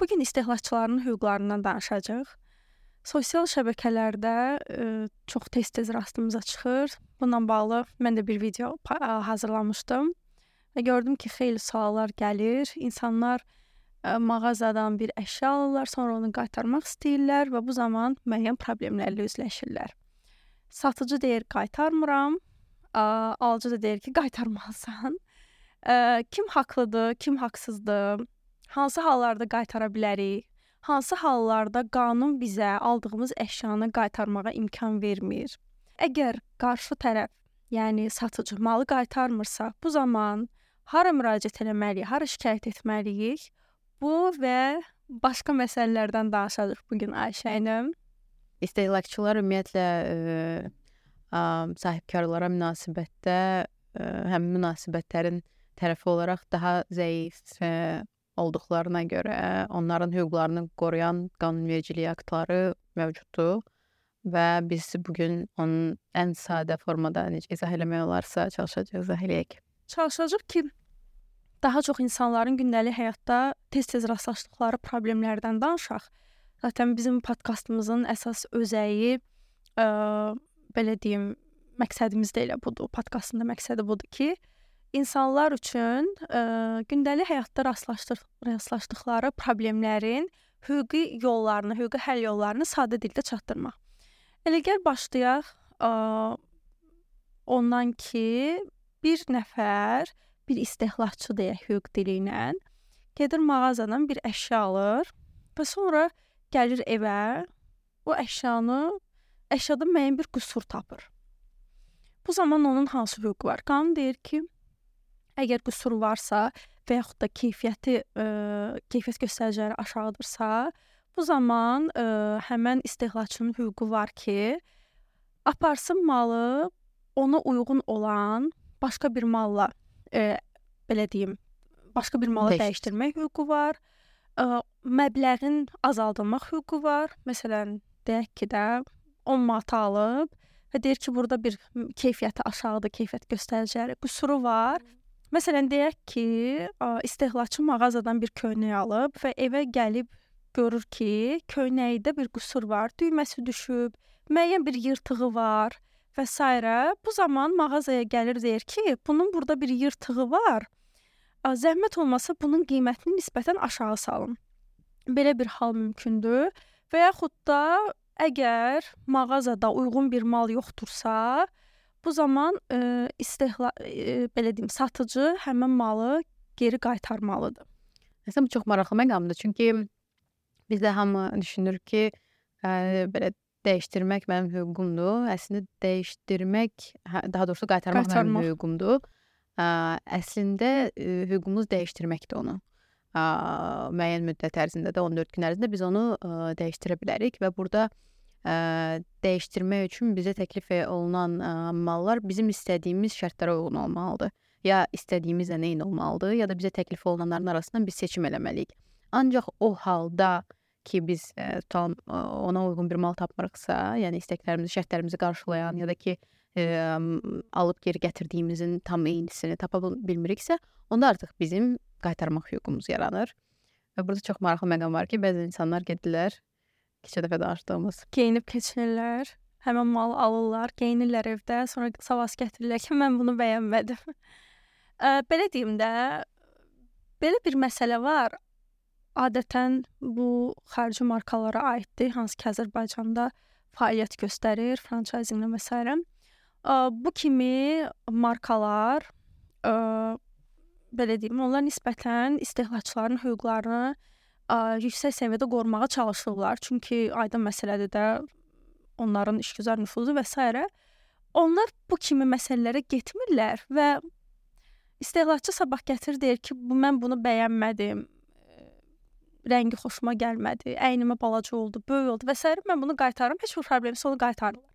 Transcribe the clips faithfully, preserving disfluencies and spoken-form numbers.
Bugün istehlakçıların hüquqlarından danışacağıq. Sosial şəbəkələrdə ə, çox tez-tez rastımıza çıxır. Bununla bağlı mən də bir video pa- hazırlamışdım və gördüm ki, xeyli suallar gəlir. İnsanlar ə, mağazadan bir əşya alırlar, sonra onu qaytarmaq istəyirlər və bu zaman müəyyən problemlərlə üzləşirlər. Satıcı deyir, qaytarmıram. Ə, alıcı da deyir ki, qaytarmalısan. Ə, kim haqlıdır, kim haqsızdır? Hansı hallarda qaytara bilərik? Hansı hallarda qanun bizə aldığımız əşyanı qaytarmağa imkan vermir? Əgər qarşı tərəf, yəni satıcı malı qaytarmırsa, bu zaman hara müraciət etməliyik, hara şikayət etməliyik? Bu və başqa məsələlərdən danışacağıq bu gün Ayşə ilə. İstehlakçılar ümumiyyətlə ə, ə, sahibkarlara münasibətdə ə, həmin münasibətlərin tərəfi olaraq daha zəif ə, olduqlarına görə onların hüquqlarını qoruyan qanunvericilik aktları mövcuddur və biz bugün onun ən sadə formada necə izah eləmək olarsa çalışacağıq, izah eləyək. Çalışacağıq ki, daha çox insanların gündəlik həyatda tez-tez rastlaşdıqları problemlərdən danışaq. Zaten bizim podkastımızın əsas özəyi, ə, belə deyim, məqsədimiz də elə budur. Podkastın da məqsədi budur ki, İnsanlar üçün ə, gündəlik həyatda rastlaşdıq, rastlaşdıqları problemlərin hüquqi yollarını, hüquqi həll yollarını sadə dildə çatdırmaq. Elə gəl başlayaq ə, ondan ki, bir nəfər, bir istehlakçı deyək hüquq dili ilə gedir mağazadan bir əşya alır və sonra gəlir evə, o əşyanı, əşyada müəyyən bir qüsur tapır. Bu zaman onun hansı hüququ var? Qanun deyir ki, əgər qüsur varsa və yaxud da keyfiyyəti, ə, keyfiyyət göstəriciləri aşağıdırsa, bu zaman ə, həmən istehlakçının hüququ var ki, aparsın malı ona uyğun olan başqa bir malla, ə, belə deyim, başqa bir mala Dəyişdir. dəyişdirmək hüququ var. Ə, məbləğin azaldılmaq hüququ var. Məsələn, deyək ki də on manat alıb və deyir ki, burada bir keyfiyyəti aşağıdır, keyfiyyət göstəriciləri qüsuru var. Məsələn, deyək ki, istehlakçı mağazadan bir köynək alıb və evə gəlib görür ki, köynəkdə bir qüsur var, düyməsi düşüb, müəyyən bir yırtığı var və s. Bu zaman mağazaya gəlir, deyir ki, bunun burada bir yırtığı var. Zəhmət olmasa bunun qiymətini nisbətən aşağı salın. Belə bir hal mümkündür və yaxud da əgər mağazada uyğun bir mal yoxdursa, bu zaman ə, istehla, ə, belə deyim, satıcı həmin malı geri qaytarmalıdır. Əslində bu çox maraqlı məqamdır, çünki bizdə hamı düşünür ki, ə, belə dəyişdirmək mənim hüququmdur. Əslində dəyişdirmək, daha doğrusu qaytarmaq, qaytarmaq. mənim hüququmdur. Ə, əslində ə, hüququmuz dəyişdirməkdir onu. Ə, müəyyən müddət ərzində də on dörd gün ərzində biz onu ə, dəyişdirə bilərik və burada Ə, dəyişdirmək üçün bizə təklif olunan ə, mallar bizim istədiyimiz şərtlərə uyğun olmalıdır. Ya istədiyimizlə eyni olmalıdır, ya da bizə təklif olunanların arasından biz seçim eləməliyik. Ancaq o halda ki, biz ə, tutalım, ona uyğun bir mal tapmırıqsa, yəni istəklərimizi, şərtlərimizi qarşılayan ya da ki, ə, alıb geri gətirdiyimizin tam eynisini tapa bilmiriksə, onda artıq bizim qaytarmaq hüququmuz yaranır. Və burada çox maraqlı məqam var ki, bəzi insanlar gedirlər, keçən dəfə danışdığımız. Geyinib keçinirlər, həmən malı alırlar, geyinirlər evdə, sonra savas gətirirlər ki, mən bunu bəyənmədim. Ə, belə deyim də, belə bir məsələ var. Adətən bu xarici markalara aiddir, hansı ki, Azərbaycanda fəaliyyət göstərir, franchisinqlə və s. Ə, bu kimi markalar, ə, belə deyim, onlar nisbətən istehlakçıların hüquqlarını Ə, yüksək səviyyədə qorumağa çalışırlar. Çünki aydın məsələdir də onların işgüzar nüfuzu və s. Onlar bu kimi məsələlərə getmirlər və istehlakçı sabah gətirir, deyir ki, bu mən bunu bəyənmədim, rəngi xoşuma gəlmədi, əynimə balaca oldu, böyük oldu və s. Mən bunu qaytarıram, heç bir problemsiz onu qaytarırlar.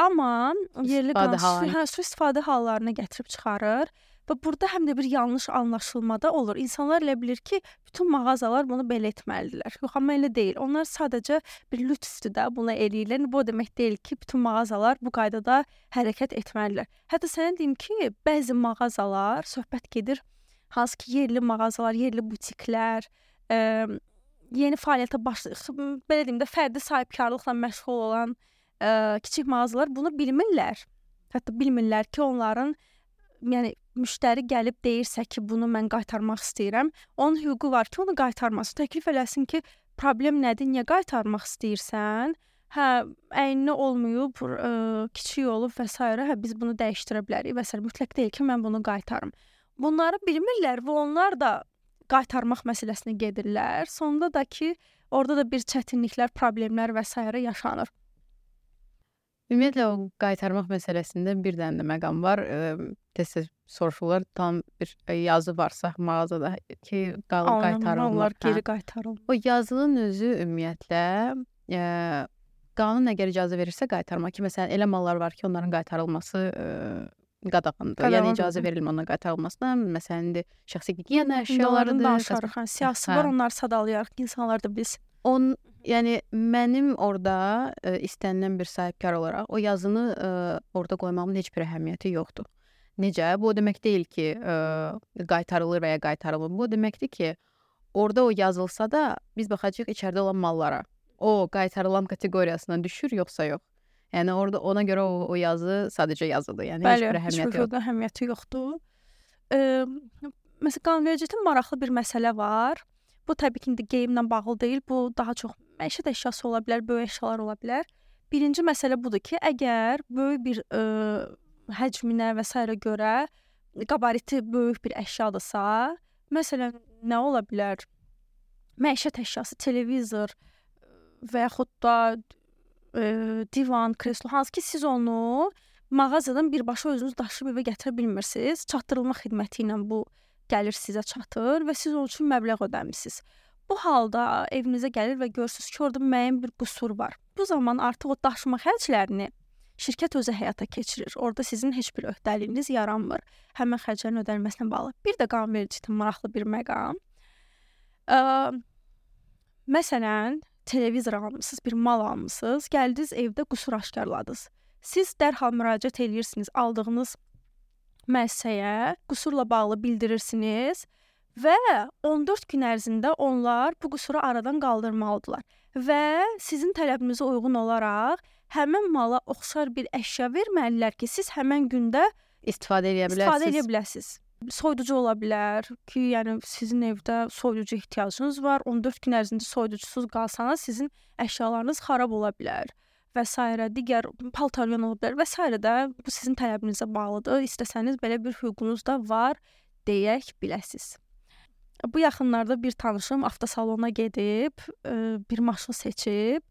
Amma yerli qanun hə, su istifadə hallarına gətirib çıxarır və burada həm də bir yanlış anlaşılmada olur. İnsanlar elə bilir ki, bütün mağazalar bunu belə etməlidirlər. Yox, amma elə deyil. Onlar sadəcə bir lütfdür də bunu eləyirlər. Bu demək deyil ki, bütün mağazalar bu qaydada hərəkət etməlidirlər. Hətta sənə deyim ki, bəzi mağazalar söhbət gedir, hansı ki, yerli mağazalar, yerli butiklər, ə, yeni fəaliyyətə başlayır, belə deyim də, fərdi sahibkarlıqla məşğul olan ə, kiçik mağazalar bunu bilmirlər. Hətta bilmirlər ki, onların yəni müştəri gəlib deyirsə ki, bunu mən qaytarmaq istəyirəm, onun hüququ var ki, onu qaytarmasın. Təklif eləsin ki, problem nədir, niyə qaytarmaq istəyirsən? Hə, əyninə olmayıb, ə, kiçik olub və s. Hə, biz bunu dəyişdirə bilərik və s. Mütləq deyil ki, mən bunu qaytarım. Bunları bilmirlər və onlar da qaytarmaq məsələsinə gedirlər. Sonunda da ki, orada da bir çətinliklər, problemlər və s. yaşanır. Ümumiyyətlə o qaytarmaq məsələsində bir dənə də məqam var. Tez-tez soruşurlar, tam bir yazı varsa mağazada ki, qaytarılmır. Onlar geri qaytarılmır. O yazının özü ümumiyyətlə ə, qanun əgər icazə verirsə qaytarmaq ki, məsələn, elə mallar var ki, onların qaytarılması ə, qadağandır. Yəni icazə verilmir onların qaytarılmasına. Məsələn, indi şəxsi gigiyena əşyalarıdır. Danışarıq. Hə, siyasi var, onları sadalayarıq ki, insanlar da bilsin. On, yəni mənim orada ə, istənilən bir sahibkar olaraq o yazını ə, orada qoymağımın heç bir əhəmiyyəti yoxdur. Necə? Bu o demək deyil ki, ə, qaytarılır və ya qaytarılmır. Bu o deməkdir ki, orada o yazılsa da biz baxacağıq içəridə olan mallara. O qaytarılan kateqoriyasına düşür yoxsa yox. Yəni orada ona görə o, o yazı sadəcə yazıdır. Yəni Bəli, heç bir əhəmiyyəti yoxdur. Bəli, əhəmiyyəti yoxdur. Ə, məsələn, qanunvericilikdə maraqlı bir məsələ var. Bu təbii ki, indi geyimlə bağlı deyil. Bu daha çox məişət əşyası ola bilər, böyük əşyalar ola bilər. Birinci məsələ budur ki, əgər böyük bir ə, həcminə və s. görə qabariti böyük bir əşyadırsa, məsələn, nə ola bilər? Məişət əşyası, televizor və yaxud da ə, divan, kreslo, hansı ki, siz onu mağazadan birbaşa özünüz daşıyıb evə gətirə bilmirsiniz. Çatdırılma xidməti ilə bu gəlir sizə çatır və siz onun üçün məbləğ ödəmisiniz. Bu halda evinizə gəlir və görürsünüz ki, orada müəyyən bir qüsur var. Bu zaman artıq o daşıma xərclərini şirkət özü həyata keçirir. Orada sizin heç bir öhdəliyiniz yaranmır. Həmin xərclərin ödənilməsinə bağlı. Bir də qanunvericilikdə maraqlı bir məqam. Ə, məsələn, televizor almısınız, bir mal almısınız, gəldiniz evdə qüsur aşkarladınız. Siz dərhal müraciət edirsiniz aldığınız müəssisəyə, qüsurla bağlı bildirirsiniz və on dörd gün ərzində onlar bu qüsuru aradan qaldırmalıdırlar və sizin tələbinizə uyğun olaraq həmin mala oxşar bir əşya verməlilər ki, siz həmin gündə istifadə edə biləsiniz. İstifadə edə biləsiniz. Soyuducu ola bilər ki, yəni sizin evdə soyuducu ehtiyacınız var. on dörd gün ərzində soyuducusuz qalsanız sizin əşyalarınız xarab ola bilər və s. digər paltaryon ola bilər və s. də bu sizin tələbinizə bağlıdır. İstəsəniz belə bir hüququnuz da var deyək biləsiniz. Bu yaxınlarda bir tanışım avtosalona gedib, bir maşın seçib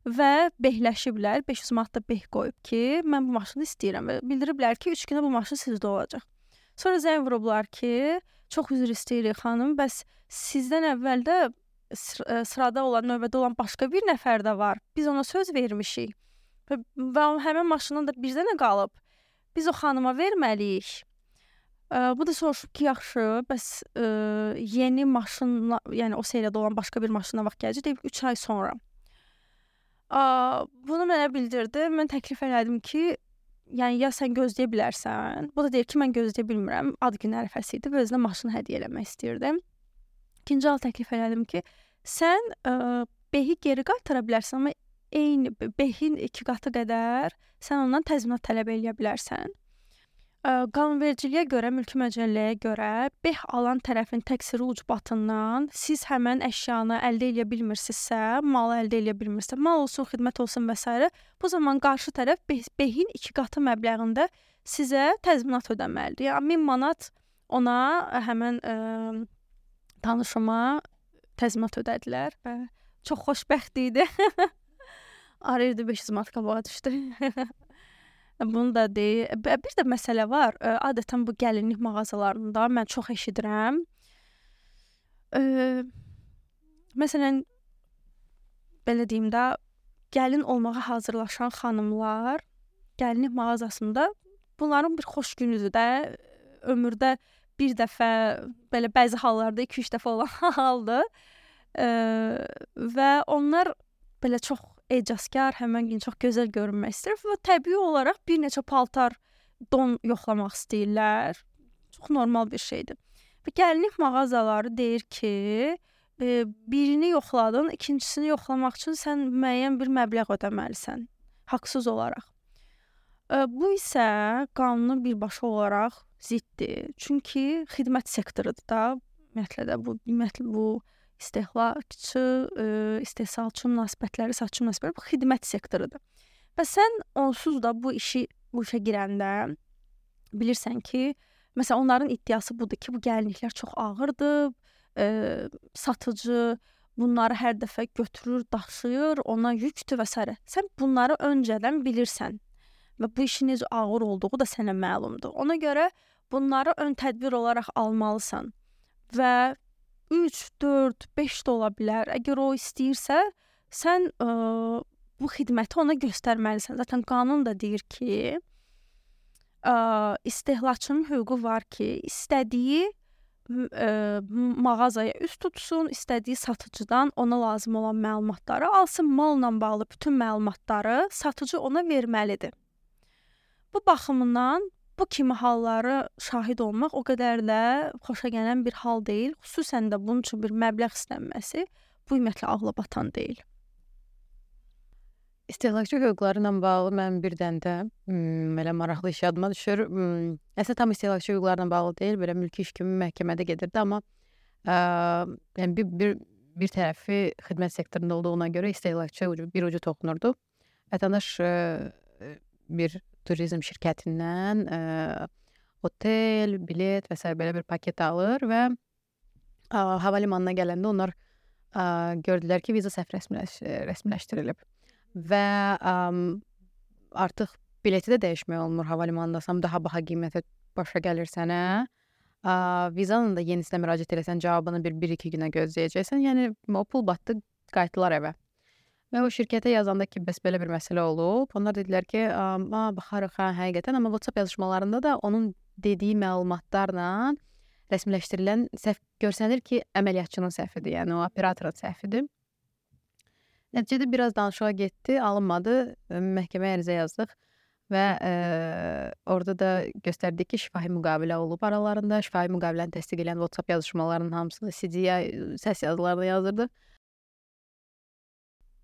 və behləşiblər. beş yüz manat da beh qoyub ki, mən bu maşını istəyirəm və bildiriblər ki, üç günə bu maşın sizdə olacaq. Sonra zəng vurublar ki, çox üzr istəyirik xanım, bəs sizdən əvvəl də sırada olan, növbədə olan başqa bir nəfər də var. Biz ona söz vermişik və, və həmin maşından da bir dənə qalıb. Biz o xanıma verməliyik. Ə, bu da soruşub ki, yaxşı, bəs ə, yeni maşınla, yəni o seriyadə olan başqa bir maşına vaxt gələcək, deyib üç ay sonra. Ə, bunu mənə bildirdi. Mən təklif elədim ki, yəni ya sən gözləyə bilərsən. Bu da deyir ki, mən gözləyə bilmirəm. Ad gün ərəfəsi idi və özünə maşını hədiyyə eləmək istirdim. İkinci hal təklif elədim ki, sən ə, behi geri qaytara bilərsən, amma eyni behin iki qatı qədər sən ondan təzminat tələb eləyə bilərsən. Ə, qanunvericiliyə görə, mülki məcəlləyə görə beh alan tərəfin təqsiri ucbatından siz həmən əşyanı əldə edə bilmirsinizsə, malı əldə edə bilmirsə, mal olsun, xidmət olsun və s. bu zaman qarşı tərəf beh, behin iki qatı məbləğində sizə təzminat ödəməlidir. Yəni min manat ona həmən ə, tanışıma təzminat ödədilər və çox xoşbəxt idi. Arayırdı beş yüz manat qabağa düşdü. Bunu da deyir. Bir də məsələ var. Adətən bu gəlinlik mağazalarında mən çox eşidirəm. Ə, məsələn, belə deyim də, gəlin olmağa hazırlaşan xanımlar gəlinlik mağazasında bunların bir xoş günüdür də. Ömürdə bir dəfə, belə bəzi hallarda iki üç dəfə olan haldır. Ə, və onlar belə çox ecazkar, həmən gün çox gözəl görünmək istəyir və təbii olaraq bir neçə paltar, don yoxlamaq istəyirlər. Çox normal bir şeydir. Və gəlinlik mağazaları deyir ki, e, birini yoxladın, ikincisini yoxlamaq üçün sən müəyyən bir məbləğ ödəməlisən, haqsız olaraq. E, bu isə qanuna birbaşa olaraq ziddir. Çünki xidmət sektorudur da, ümumiyyətlə də bu, ümumiyyətlə bu istehlakçı, e, istehsalçı münasibətləri, satçı münasibətləri bu xidmət sektorudur. Və sən onsuz da bu işi bu işə girəndə bilirsən ki, məsələn onların iddiası budur ki, bu gəlinliklər çox ağırdır, e, satıcı bunları hər dəfə götürür, daşıyır, ona yükdür və s. Sən bunları öncədən bilirsən və bu işin necə ağır olduğu da sənə məlumdur. Ona görə bunları ön tədbir olaraq almalısan və üç, dörd, beş də ola bilər. Əgər o istəyirsə, sən ə, bu xidməti ona göstərməlisən. Zaten qanun da deyir ki, ə, istehlakçının hüququ var ki, istədiyi ə, mağazaya üst tutsun, istədiyi satıcıdan ona lazım olan məlumatları alsın, malla bağlı bütün məlumatları satıcı ona verməlidir. Bu baxımından bu kimi halları şahid olmaq o qədər də xoşa gələn bir hal deyil. Xüsusən də bunun üçün bir məbləğ istənməsi bu ümumiyyətlə ağla batan deyil. İstehlakçı hüquqları ilə bağlı mənim bir dənə də hmm, belə maraqlı iş yadıma düşür. Hmm, əslində tam istehlakçı hüquqlarla bağlı deyil, belə mülki iş kimi məhkəmədə gedirdi, amma ə, yəni bir, bir, bir tərəfi xidmət sektorunda olduğuna görə istehlakçı ucu, bir ucu toxunurdu. Vətəndaş ə, bir turizm şirkətindən ə, otel, bilet və s. belə bir paket alır və ə, hava limanına gələndə onlar ə, gördülər ki, viza səhv rəsmiləş, rəsmiləşdirilib. Və ə, artıq bileti də dəyişmək olmur hava limanındasam, daha baha qiymətə başa gəlir sənə. Ə, vizanın da yenisinə müraciət eləsən, cavabını bir, bir iki günə gözləyəcəksən. Yəni, o pul batdı, qayıtdılar evə. Və o şirkətə yazanda ki, bəs belə bir məsələ olub. Onlar dedilər ki, a, baxarıq, hə, həqiqətən, amma WhatsApp yazışmalarında da onun dediyi məlumatlarla rəsmiləşdirilən səhv görsənir ki, əməliyyatçının səhvidir, yəni o operatorun səhvidir. Nəticədə biraz danışığa getdi, alınmadı, məhkəməyə ərizə yazdıq və e, orada da göstərdik ki, şifahi müqavilə olub aralarında. Şifahi müqaviləni təsdiq edən WhatsApp yazışmalarının hamısını C D-yə, səs yazılarına yazdırdı.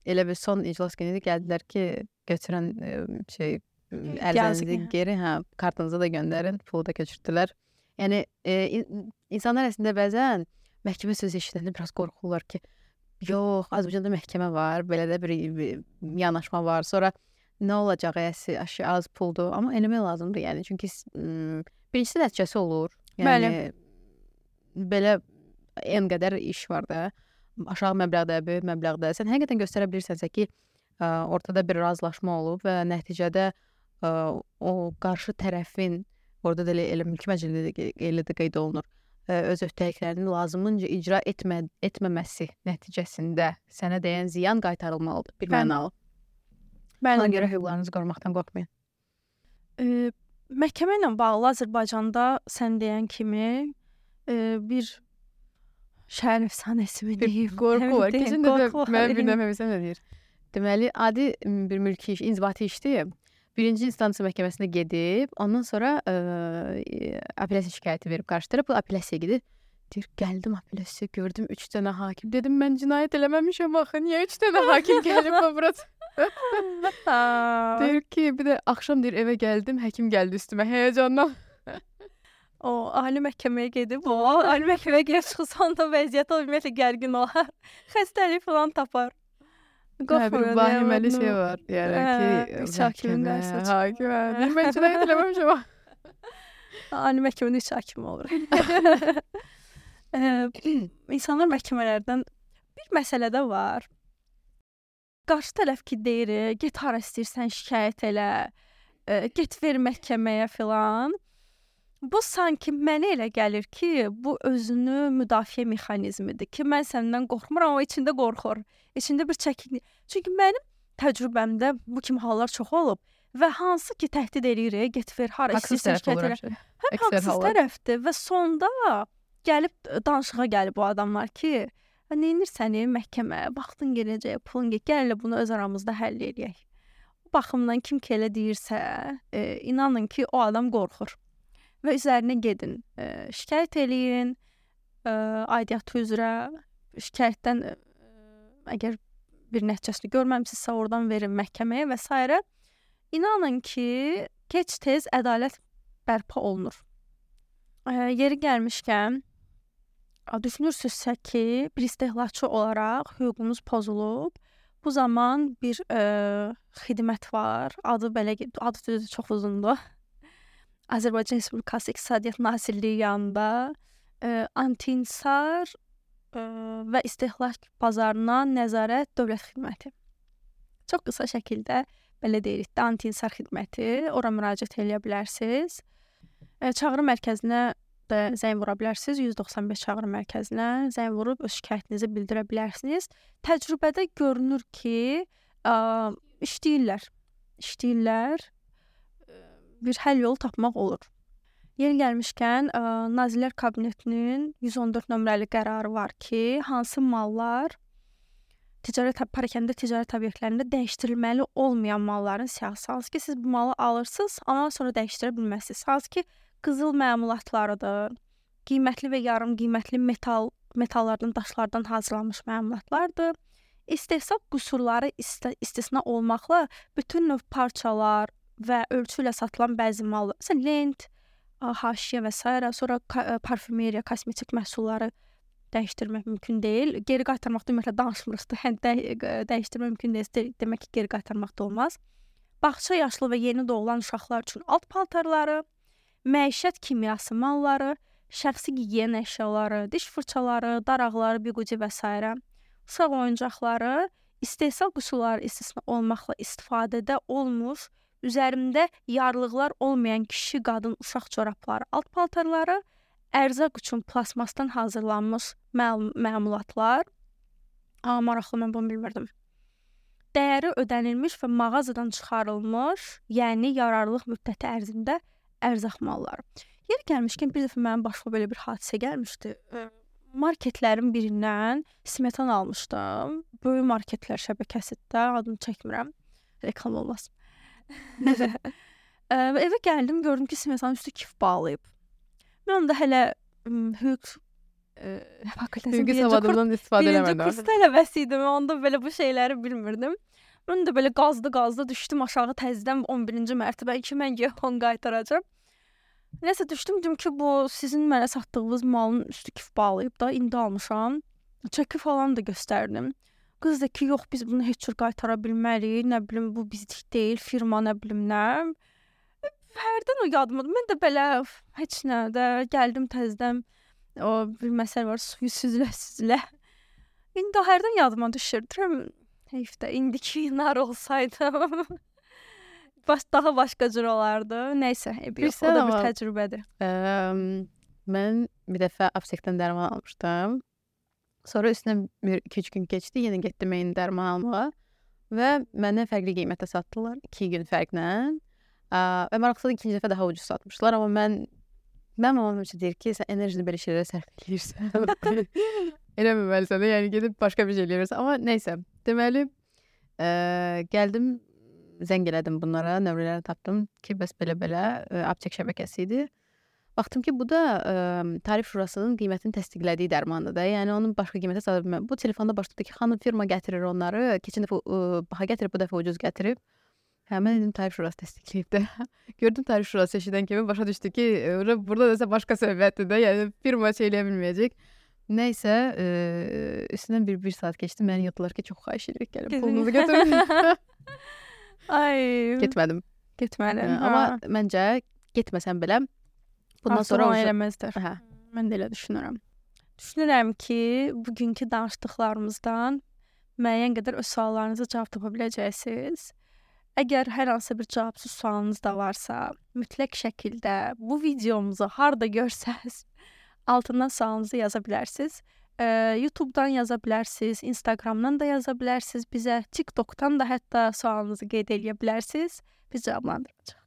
Elə bir son iclas günü gəldilər ki, götürən e, şey ərizənizi geri, hə, kartınızı da göndərin, pulu da köçürtdülər. Yəni e, insanlar əslində bəzən məhkəmə sözü eşidəndə biraz qorxurlar ki, yox, Azərbaycanda məhkəmə var, belə də bir, bir yanaşma var. Sonra nə olacaq, əsi, aşı, az puldur, amma eləmək lazımdır, yəni. Çünki birincisi nəticəsi olur. Yəni, Bəli. Belə en qədər iş var da, aşağı məbləğdə, böyük məbləğdə. Sən həqiqətən göstərə bilirsənsə ki, ortada bir razılaşma olub və nəticədə o qarşı tərəfin, orada da elə mülki məcəllədə də qeyd olunur, öz öhdəliklərini lazımınca icra etmə, etməməsi nəticəsində sənə dəyən ziyan qaytarılmalıdır, bir mənalı. Ona görə hüquqlarınızı qorumaqdan qorxmayın. E, məhkəmə ilə bağlı Azərbaycanda sən deyən kimi e, bir şəhər əfsanəsi mi deyim? Bir qorxu var. Keçən də mən bilməməmsən nə deyir. Deməli, adi bir mülki iş, inzibati işdir. Birinci instansiya məhkəməsinə gedib, ondan sonra ə, apellyasiya şikayəti verib qarşı tərəf, bu apellyasiyaya gedir. Deyir, gəldim apellyasiya, gördüm üç dənə hakim. Dedim, mən cinayət eləməmişəm axı, niyə üç dənə hakim gəlib bura? Deyir ki, bir də axşam deyir, evə gəldim, həkim gəldi üstümə, həyəcandan. O, ali məhkəməyə gedib, o, ali məhkəməyə gedib çıxsan da vəziyyət o, ümumiyyətlə gərgin olar, xəstəlik falan tapar. Hə, bir vahiməli şey var. Yəni ki, üç hakimin qarşısına çıxır. Hakim, hə. Mən cinayət eləməmişəm. Ali məhkəmədə üç hakim olur. İnsanlar məhkəmələrdən bir məsələ də var. Qarşı tərəf ki deyir, get hara istəyirsən şikayət elə, get ver məhkəməyə filan. Bu sanki mənə elə gəlir ki, bu özünü müdafiə mexanizmidir ki, mən səndən qorxmuram, amma içində qorxur. İçində bir çəkinlik. Çünki mənim təcrübəmdə bu kimi hallar çox olub və hansı ki təhdid eləyir, get ver, hara istəyirsən şikayət elə. Həm haqsız tərəfdir və sonda gəlib danışığa gəlib bu adamlar ki, neynirsən məhkəmə, vaxtın gələcək, pulun gəl, gəl elə bunu öz aramızda həll eləyək. Bu baxımdan kim ki elə deyirsə, e, inanın ki, o adam qorxur. Və üzərinə gedin, e, şikayət eləyin, e, aidiyyatı üzrə şikayətdən ə, əgər bir nəticəsini görməmisinizsə, oradan verin məhkəməyə və s. İnanın ki, gec-tez ədalət bərpa olunur. Ə, yeri gəlmişkən, düşünürsünüzsə ki, bir istehlakçı olaraq hüququnuz pozulub, bu zaman bir ə, xidmət var, adı belə, adı düzdür, çox uzundur. Azərbaycan Respublikası İqtisadiyyat Nazirliyi yanında ə, anti-inhisar ə, və istehlak bazarına nəzarət dövlət xidməti. Çox qısa şəkildə belə deyirik də, anti-inhisar xidməti, ora müraciət edə bilərsiniz. Ə, çağrı mərkəzinə də zəng vura bilərsiniz, yüz doxsan beş çağrı mərkəzinə zəng vurub öz şikayətinizi bildirə bilərsiniz. Təcrübədə görünür ki, ə, işləyirlər, işləyirlər, bir həll yolu tapmaq olur. Yeri gəlmişkən, ə, Nazirlər Kabinetinin yüz on dörd nömrəli qərarı var ki, hansı mallar ticarət parakəndə ticarət obyektlərində dəyişdirilməli olmayan malların siyahısı. Hansı ki, siz bu malı alırsınız, amma sonra dəyişdirə bilməzsiniz. Hansı ki, qızıl məmulatlarıdır, qiymətli və yarım qiymətli metal metallardan, daşlardan hazırlanmış məmulatlardır. İstehsal qüsurları ist istisna olmaqla bütün növ parçalar və ölçü ilə satılan bəzi mallar, məsələn, lent, haşiyə və s. sonra parfümeriya, kosmetik məhsulları dəyişdirmək mümkün deyil. Geri qaytarmaqda ümumiyyətlə danışmırıq da, hə, də dəyişdirmək mümkün deyil, demək ki, geri qaytarmaq da olmaz. Bağça yaşlı və yeni doğulan uşaqlar üçün alt paltarları, məişət kimyası malları, şəxsi gigiyena əşyaları, diş fırçaları, daraqları, biquci və s. uşaq oyuncaqları, istehsal qüsurları istisna olmaqla istifadədə olmuş, üzərində yarlıqlar olmayan kişi, qadın, uşaq corabları, alt paltarları, ərzaq üçün plasmasdan hazırlanmış məl məmulatlar, aa, maraqlı, mən bunu bilmirdim. Dəyəri ödənilmiş və mağazadan çıxarılmış, yəni yararlılıq müddəti ərzində ərzaq malları. Yeri gəlmişkən, bir dəfə mənim başıma belə bir hadisə gəlmişdi. Marketlərin birindən smetan almışdım. Böyük marketlər şəbəkəsində, adını çəkmirəm, reklam olmaz. Evə gəldim, gördüm ki, smetanın üstü kif bağlayıb. Mən onda hələ hüquq hüquqi savadımdan istifadə eləmədim. Birinci kurs tələbəsi idim, onda belə bu şeyləri bilmirdim. Mən də belə qazdı-qazdı düşdüm aşağı təzədən on birinci mərtəbə ki, mən yepon qaytaracam. Nəsə düşdüm, dedim ki, bu sizin mənə satdığınız malın üstü kif bağlayıb da, indi almışam. Çəki falan da göstərdim. Qız da ki, yox, biz bunu heç cür qaytara bilmərik, nə bilim, bu bizlik deyil, firma nə bilim nə. Hərdən o yadımdadır. Mən də belə heç nə də gəldim təzədən, o bir məsələ var, suyu süzülə-süzülə. İndi hərdən yadıma düşür. Deyirəm, heyf də, indiki nar olsaydım. Baş, daha başqa cür olardı. Nəysə, yox, o da bir təcrübədir. Ə, mən bir dəfə aptekdən dərman almışdım. Sonra üstündən bir iki üç gün keçdi, yenə getdim eyni dərman almağa və mənə fərqli qiymətə satdılar, iki gün fərqlə. Ə, və maraqlıdır, ikinci dəfə daha ucuz satmışlar, amma mən mən mamam üçün deyir ki, sən enerjini belə şeylərə sərf edirsən. Eləməməlisən də, yəni gedib başqa bir şey eləyirsən. Amma nəysə, deməli, ə, gəldim, zəng elədim bunlara, nömrələri tapdım ki, bəs belə-belə aptek şəbəkəsi idi. Baxdım ki, bu da ə, Tarif Şurasının qiymətini təsdiqlədiyi dərmandır da. Yəni onun başqa qiymətə sata bilməm. Bu telefonda başladı ki, xanım firma gətirir onları. Keçən dəfə ə, baha gətirib, bu dəfə ucuz gətirib. Hə, mən dedim Tarif Şurası təsdiqləyib də. Gördüm Tarif Şurası eşidən kimi başa düşdü ki, burada da başqa söhbətdir də. Yəni firma şey eləyə bilməyəcək. Nəysə, ə, üstündən bir, bir saat keçdi. Məni yatdılar ki, çox xahiş edirik, gəlin pulunuzu götürün. Ay. Getmədim. Getmədim. Hə, amma məncə getməsəm belə bundan Artıq sonra onu eləməzdir. Hə. Mən də elə düşünürəm. Düşünürəm ki, bugünkü danışdıqlarımızdan müəyyən qədər öz suallarınıza cavab tapa biləcəksiniz. Əgər hər hansı bir cavabsız sualınız da varsa, mütləq şəkildə bu videomuzu harda görsəz, altından sualınızı yaza bilərsiniz. YouTube-dan yaza bilərsiniz, Instagram-dan da yaza bilərsiniz bizə, TikTok-dan da hətta sualınızı qeyd edə bilərsiniz. Biz cavablandıracağıq.